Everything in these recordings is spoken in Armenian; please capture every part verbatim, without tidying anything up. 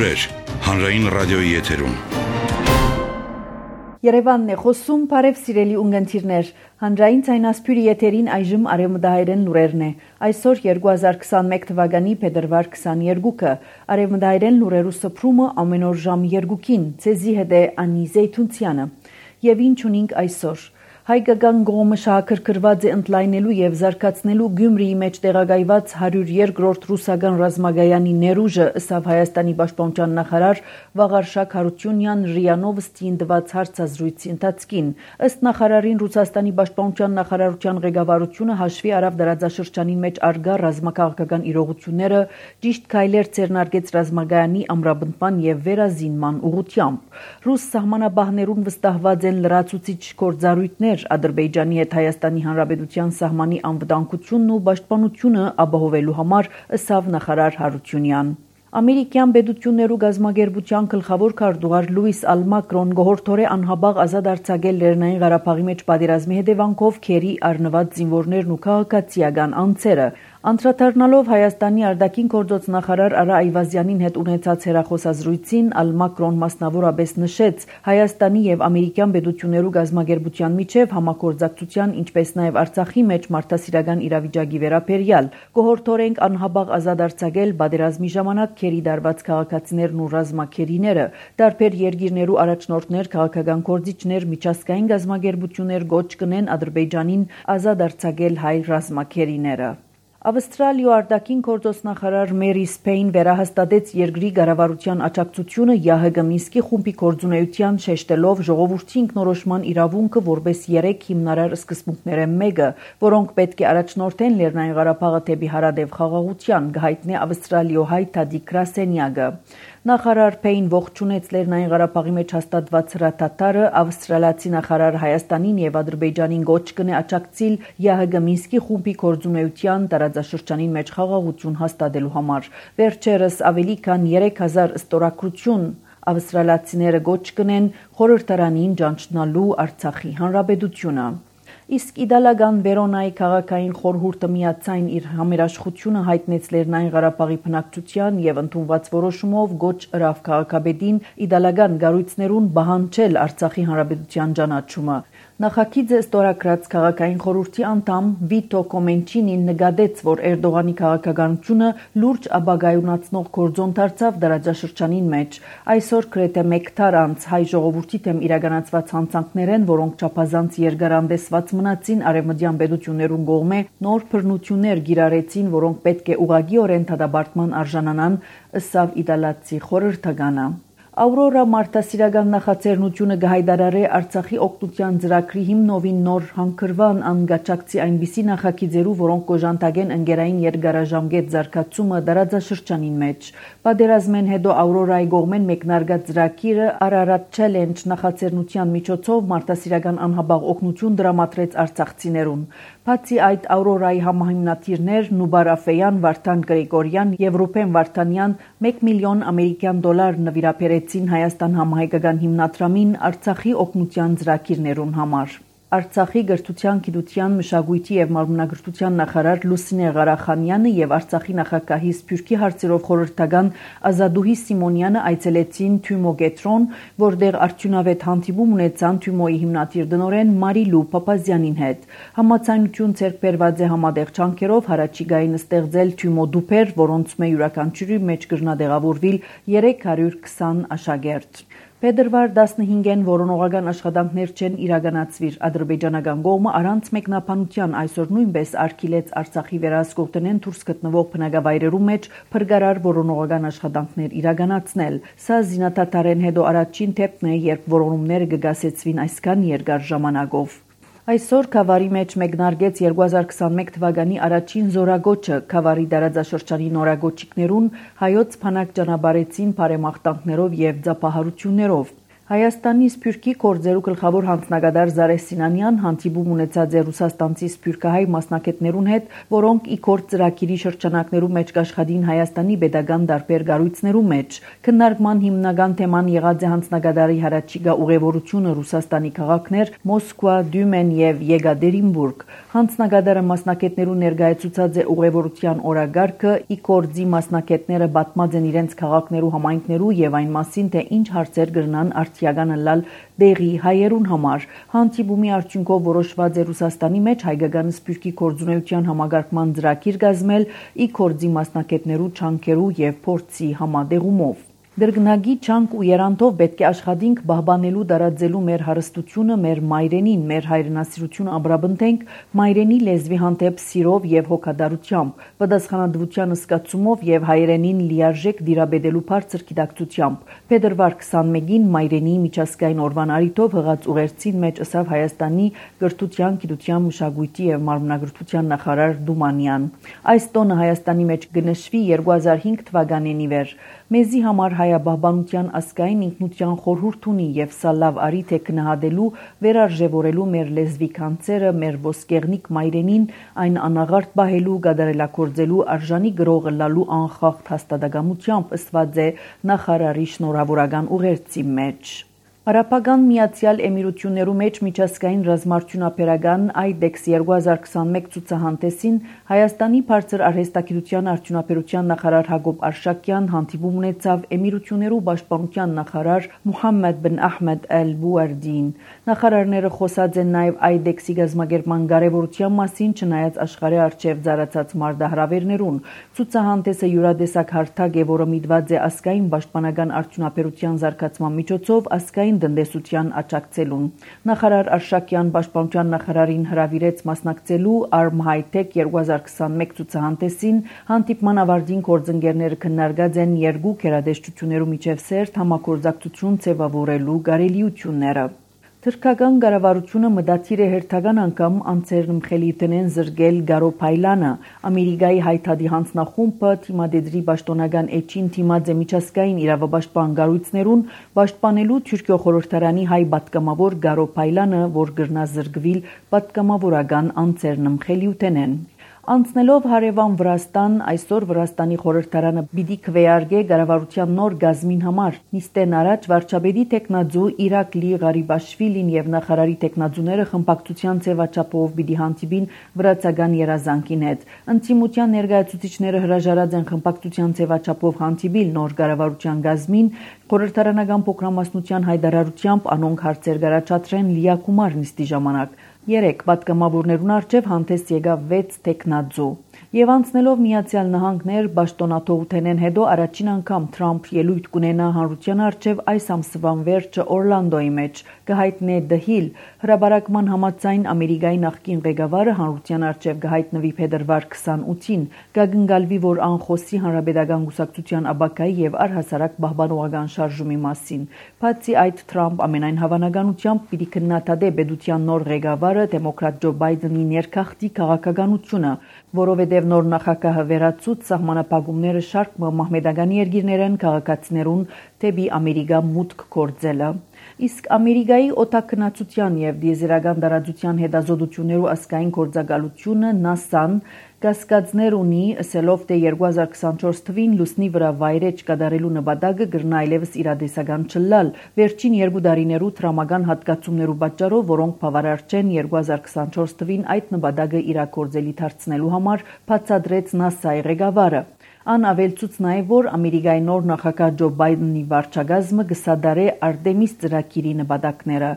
Լուրեր հանրային ռադիոյի եթերում։ Երևանն է խոսում, բարև սիրելի ունգընտիրներ, հանրային ցայնասփյուրի եթերին այժմ արևմտահայերեն լուրերն է։ Այսօր երկու հազար քսանմեկ թվականի փետրվար քսաներկուը, արևմտահայերեն լուրերու սփռումը ամեն օր ժամ երկուքին, ցեզի հետ է Անի Զեյթունցյանը։ Եվ ինչ ունենք այսօր։ Հայկական կողմը շահագրգռված է ընդլայնելու եւ զարգացնելու Գյումրիի մեջ տեղակայված հարյուր երկրորդ ռուսական ռազմագայանի ներուժը, ըստ Հայաստանի պաշտպանության նախարար Վաղարշակ Հարությունյան ՌԻԱ Նովոստիին տված հարցազրույցի ընթացքին։ Ըստ նախարարին Ռուսաստանի պաշտպանության նախարարության ղեկավարությունը հաշվի առավ դարաձաշրջանի մեջ արգա ռազմաքաղաքական իրողությունները, ճիշտ քայլեր ձեռնարկեց ռազմագայանի ամրապնդման եւ վերազինման ուղղությամբ։ Ռուս սահմանապահներուն վստահված են լրացուցիչ գործառույթներ Ադրբեջանի հետ Հայաստանի Հանրապետության սահմանի անվտանգությունն ու պաշտպանությունը ապահովելու համար, ըստ նախարար Հարությունյան։ Ամերիկյան պետություններու գազագերբության գլխավոր քարտուղար Լուիս Ալմակրոն գողորթորե անհաբաղ ազատ արձակել Լեռնային Ղարաբաղի մեջ պատերազմի հետևանքով քերի առնված զինվորներն ու քաղաքացիական անձերը։ Անդրադառնալով Հայաստանի արտաքին գործոց նախարար Արա Այվազյանին հետ ունեցած հեռախոսազրույցին, Ալմակրոն մասնավորապես նշեց Հայաստանի եւ ամերիկյան պետություններու գազագերբության միջև համագործակցության, ինչպես նաեւ Արցախի մեջ մարդասիրական իրավիճակի վերաբերյալ։ Գողորթորենք անհաբաղ ազատ արձակել պատերազմի ժամանակ քերի դարված քաղաքացիներն ու ռազմաքերիները, տարբեր երկիրներու առաջնորդներ, քաղաքական գործիչներ, միջազգային գազագերբություններ գոչ կնեն Ադրբեջանին ազատ արձակել հայ ռազմաքերիները։ Ավստրալիա արտաքին գործոց նախարար Մերի Սփեյն վերահաստատեց երկրի կառավարության աջակցությունը ԵԱՀԿ Մինսկի խումբի գործունեության շեշտելով ժողովրդի ինքնորոշման իրավունքը որպես երեք հիմնարար սկզբունքները մեկը, որոնք պետք է առաջնորդեն Լեռնային Ղարաբաղը դեպի հարադեպ խաղաղության, գահիտնե ավստրալիոհայ Թադիկ Կրասենյակը։ Նախարար Փեյն ողջունեց Լեռնային Ղարաբաղի մեջ հաստատված հրաթաթարը, ավստրալիացի նախարար Հայաստանին եւ Ադրբեջանին գոչ կնե աջակցել ԵԱՀԿ Մինսկի խումբի գործունեության տարածաշրջանին մեջ խաղաղություն հաստատելու համար։ Վերջերս ավելի քան երեք հազար ստորագրություն ավստրալիացիները գոչ կնեն խորհրդարանին ճանչնալու Արցախի հանրապետությունը։ Իսկ իդալական Վերոնայի քաղաքային խորհուրդը միացայն իր համերաշխությունը հայտնեց Լեռնային Ղարաբաղի բնակչության եւ ընդունված որոշումով գոչ ըրավ քաղաքապետին իդալական գառույցներուն բանջել Արցախի հանրապետության ճանաչումը։ Նախագիծը ստորագրած քաղաքային խորհրդի անդամ Վիտո Կոմենչինին նկատեց, որ Էրդողանի քաղաքականությունը լուրջ ապագայունացնող գործոն դարձավ դարաձաշրջանին մեջ։ Այսօր գրեթե մեկ տար անց հայ ժողովրդի դեմ իրականացված հանցանքներեն, որոնք չափազանց երկարանդեսված մնացին արևմտյան պետություններուն կողմէ, նոր բռնություններ գիրառեցին, որոնք պետք է ուղղակիորեն դատապարտման արժանանան, ըստ իդալացի խորհրդականը։ Աուրորա մարդասիրական նախաձեռնությունը կհայտարարի Արցախի օգնության ծրագրի հիմնովին նոր հանգրվան անգաճակցի այնպիսի նախագիծերու, որոնք կոժանտագեն ընկերային երկարաժամկետ զարգացումը դարաձաշրջանին մեջ։ Պատերազմեն հետո Աուրորայի կողմեն մեկնարկած ծրագիրը Ararat Challenge նախաձեռնության միջոցով մարդասիրական անհաբաղ օգնություն դրամատրեց արցախցիներուն։ Բացի այդ, Աուրորայի համահիմնադիրներ Նուբար Աֆեյան, Վարդան Գրեգորյան եւ Ռուբեն Վարդանյան մեկ միլիոն ամերիկյան դոլար նվիրաբերեցին Հայաստան համահայկական հիմնադրամին Արցախի օգնության ծրագիրներուն համար։ Արցախի գրթության, գիտության, մշակույթի եւ մարմնագրթության նախարար Լուսինե Ղարախանյանը եւ Արցախի նախագահի Սփյուռքի հարցերով խորհրդական Ազադուհի Սիմոնյանը այցելեցին Թյումո Գետրոն, որտեղ արդյունավետ հանդիպում ունեցան Թյումոյի հիմնադիր դնորեն Մարիլու Պապազյանին հետ։ Համաձայնություն ձեռք բերված է համատեղ ջանքերով հարաճիգային ստեղծել Թյումո դուփեր, որոնց մե յուրաքանչյուրի մեջ կրնադեղավորվիլ երեք հարյուր քսան աշակերտ։ Փետրվար տասնհինգին որոնողական աշխատանքներ չեն իրականացվիր ադրբեջանական կողմը առանց մեկնաբանության այսօր նույնպես արգելեց Արցախի վերահսկողներեն դուրս գտնվող բնակավայրերու մեջ փրկարար որոնողական աշխատանքներ իրականացնել։ Սա զինադատարեն հետո առաջին դեպքն է, երբ որոնումները կգասեցվին այսքան երկար ժամանակով։ Այսօր Քավարի մեջ մեկնարկեց երկու հազար քսանմեկ թվականի առաջին զորագոչը Քավարի դարաձաշրջանի նորագոչիկներուն հայոց բանակ ճանապարհեցին բարեմաղթանքներով եւ ծափահարություններով։ Հայաստանի Սփյուռքի գործերու գլխավոր հանձնագետար Զարե Սինանյան հանդիպում ունեցած է ռուսաստանցի սփյուռքահայ մասնակիցներուն հետ, որոնք ի կորձ ծրագիրի շրջանակներու մեջ կաշխատին Հայաստանի pedagogan դարբեր գառույցներու մեջ։ Քննարկման հիմնական թեման եղած է հանձնագետարի հարաճիգա ուղևորությունը Ռուսաստանի քաղաքներ Մոսկվա, Դյումեն եւ Եկատերինբուրգ։ Հանձնագետարը մասնակիցներու ներկայացուցած է ուղևորության օրագարկը, ի կորձի մասնակիցները պատմած են իրենց քաղաքներու համայնքներու եւ այն մասին, թե ինչ հարցեր կրնան արտիագանը լալ դեղի հայերուն համար։ Հանդիպումի արդյունքով որոշված է Ռուսաստանի մեջ հայկական սփյուռքի գործունեության համագարկման ծրագիր կազմել ի կորձի մասնակիցներու չանքերու եւ փորձի համատեղումով։ Դրգնագի չանք ու երանտով պետք է աշխատենք բահբանելու դարաձելու մեր հարստությունը, մեր մայրենին, մեր հայրենասիրությունը ամրապնդենք մայրենի լեզվի հանդեպ սիրով եւ հոգատարությամբ, պատասխանատվության զգացումով եւ հայրենին լիարժեք դիրաբեդելու բարձր գիտակցությամբ։ Փետրվար քսանմեկին մայրենի միջազգային օրվան արիթով հղած ուղերձին մեջ ըսավ Հայաստանի գրթության, գիտության, մշակույթի եւ մարմնագրթության նախարար Դումանյան։ Այս տոնը Հայաստանի մեջ կնշվի երկու հազար հինգ թվականին ի վեր։ Մեզի համար հայաբահբանության ազգային ինքնության խորհուրդ ունի եւ սա լավ արիթ է գնահատելու, վերարժևորելու մեր լեզվի կանցերը, մեր ոսկեղնիկ մայրենին, այն անաղարտ պահելու, գադարելակորձելու արժանի գրողը լալու անխախտ հաստատակամությամբ ըստված է նախարարի շնորհավորական ուղերձի մեջ։ Արաբական Միացյալ Էմիրություններու մեջ միջազգային ռազմաարդյունաբերական այդեքս երկու հազար քսանմեկ ցուցահանդեսին Հայաստանի բարձր արհեստագիտության արդյունաբերության նախարար Հակոբ Արշակյան հանդիպում ունեցավ Էմիրություններու պաշտպանության նախարար Մուհամմեդ բն Ահմեդ Ալ-Բուարդին։ Նախարարները խոսած են նաև այդեքսի գազམ་ագերման կարևորության մասին, չնայած աշխարհի արչև ծառացած մարտահրավերներուն։ Ցուցահանդեսը յուրադեսակ հարթակ է, որը միտված է ազգային պաշտպանական արդյունաբերության զարգացման միջոցով ազգային տնտեսության աջակցելուն։ Նախարար Արշակյան պաշտպանության նախարարին հրավիրեց մասնակցելու Arm High-Tech երկու հազար քսանմեկ ցուցահանդեսին։ Հանդիպման ավարտին գործընկերները քննարկած են երկու գերադեսչություններու միջև սերտ համագործակցություն ձևավորելու կարելիությունները։ Թրքական կառավարությունը մտադիր է հերթական անգամ անձերն մխելիտնեն զրկել Գարոփայլանը։ Ամերիկայի հայտարարի հանձնախումբը թիմադեդրի պաշտոնական էջին թիմած է միջազգային իրավապաշտպան կառույցներուն պաշտպանելու Թուրքիո խորհրդարանի հայ պատգամավոր Գարոփայլանը, որ գրնա զրկվել պատգամավորական անձերն մխելիութենեն։ Անցնելով հարևան Վրաստան, այսօր Վրաստանի խորհրդարանը պիտի քվեարկե կառավարության նոր գազմին համար։ Նիստեն առաջ վարչապետի տեխնաձու Իրակլի Ղարիբաշվիլին եւ նախարարի տեխնաձուները խմբակցության ձևաչափով պիտի հանդիպին վրացական երազանքին հետ։ Ընտիմության ներկայացուցիչները հրաժարած են խմբակցության ձևաչափով հանդիպիլ նոր կառավարության գազմին, խորհրդարանական փոքրամասնության հայտարարությամբ անոնք հարցեր կառաջադրեն լիակումար նիստի ժամանակ։ Երեք պատգամավորներուն առջև հանդես եկավ վեց տեխնաձու։ Եվ անցնելով Միացյալ Նահանգներ պաշտոնաթողութենեն հետո առաջին անգամ Թրամփ ելույթ կունենա հանրության առջև այս ամսվան վերջը Օրլանդոյի մեջ կհայտնե The Hill հրաբարակման համաձայն Ամերիկայի նախկին ղեկավարը հանրության առջև կհայտնվի փետրվար քսանութին, կգնգալվի, որ անխոսի հանրապետական կուսակցության աբակայի եւ առհասարակ պահպանողական շարժումի մասին։ Բացի այդ, Թրամփ ամենայն հավանականությամբ պիտի քննադատե պետության նոր ղեկավարը դեմոկրատ Ջո Բայդենի ներքախտի քաղաքականությունը, որովհետև նոր նախագահը վերացուց սահմանափակումները շարք մահմեդական երկիրներեն քաղաքացիներուն դեպի Ամերիկա մուտք գործելը։ Իսկ Ամերիկայի օտարքնացության եւ դիեզերական տարածության հետազոտություններու ազգային գործակալությունը նասան կասկածներ ունի, ասելով, թե երկու հազար քսանչորս թվին լուսնի վրա վայրեջ կատարելու նպատակը գրնա այլևս իրադեսական չլալ։ Վերջին երկու տարիներու տրամական հատկացումներու պատճառով, որոնք բավարար չեն երկու հազար քսանչորս թվին այդ նպատակը իրագործելի դարձնելու համար, բացատրեց նասայի ղեկավարը։ Ան ավելցուց նաև, որ Ամերիկայի նոր նախագահ Ջո Բայդենի վարչակազմը կսադարե Արտեմիս ծրագիրի նպատակները։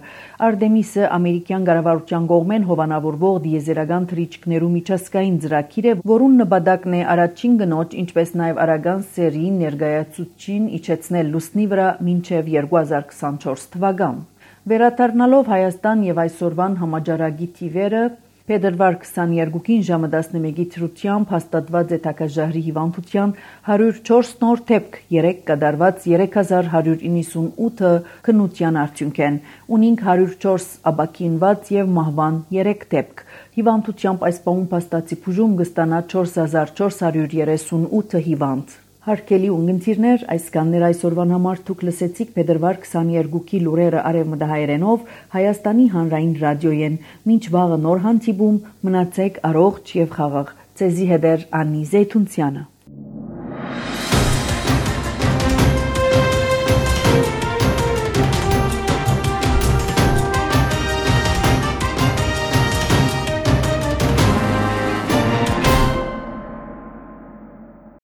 Արտեմիսը ամերիկյան կառավարության կողմեն հովանավորվող դիեզերական թռիչքներու միջազգային ծրագիր է, որուն նպատակն է առաջին գնոջ, ինչպես նաև արագան սերի ներկայացուցչին իջեցնել լուսնի վրա մինչև երկու հազար քսանչորս թվական։ Վերադառնալով Հայաստան եւ այսօրվան համաճարակի թիվերը Փետրվար քսաներկուին ժամը տասնմեկի թրությամբ հաստատված է Թակաժահրի հիվանդության հարյուր չորս նոր դեպք, երեք կատարված երեք հազար հարյուր իննսունութը քննության արդյունքեն, ունինք հարյուր չորս աբակինված եւ մահվան երեք դեպք։ Հիվանդությամբ այս պահուն փաստացի բուժում կստանա չորս հազար չորս հարյուր երեսունութը հիվանդ։ Հարգելի ունգընտիրներ, այսքաններ այսօրվան համար դուք լսեցիք փետրվար քսաներկուքի լուրերը արևմտահայերենով Հայաստանի հանրային ռադիոյեն։ Մինչ վաղը նոր հանդիպում, մնացեք առողջ եւ խաղաղ։ Ձեզի հետ է Անի Զեյթունցյանը։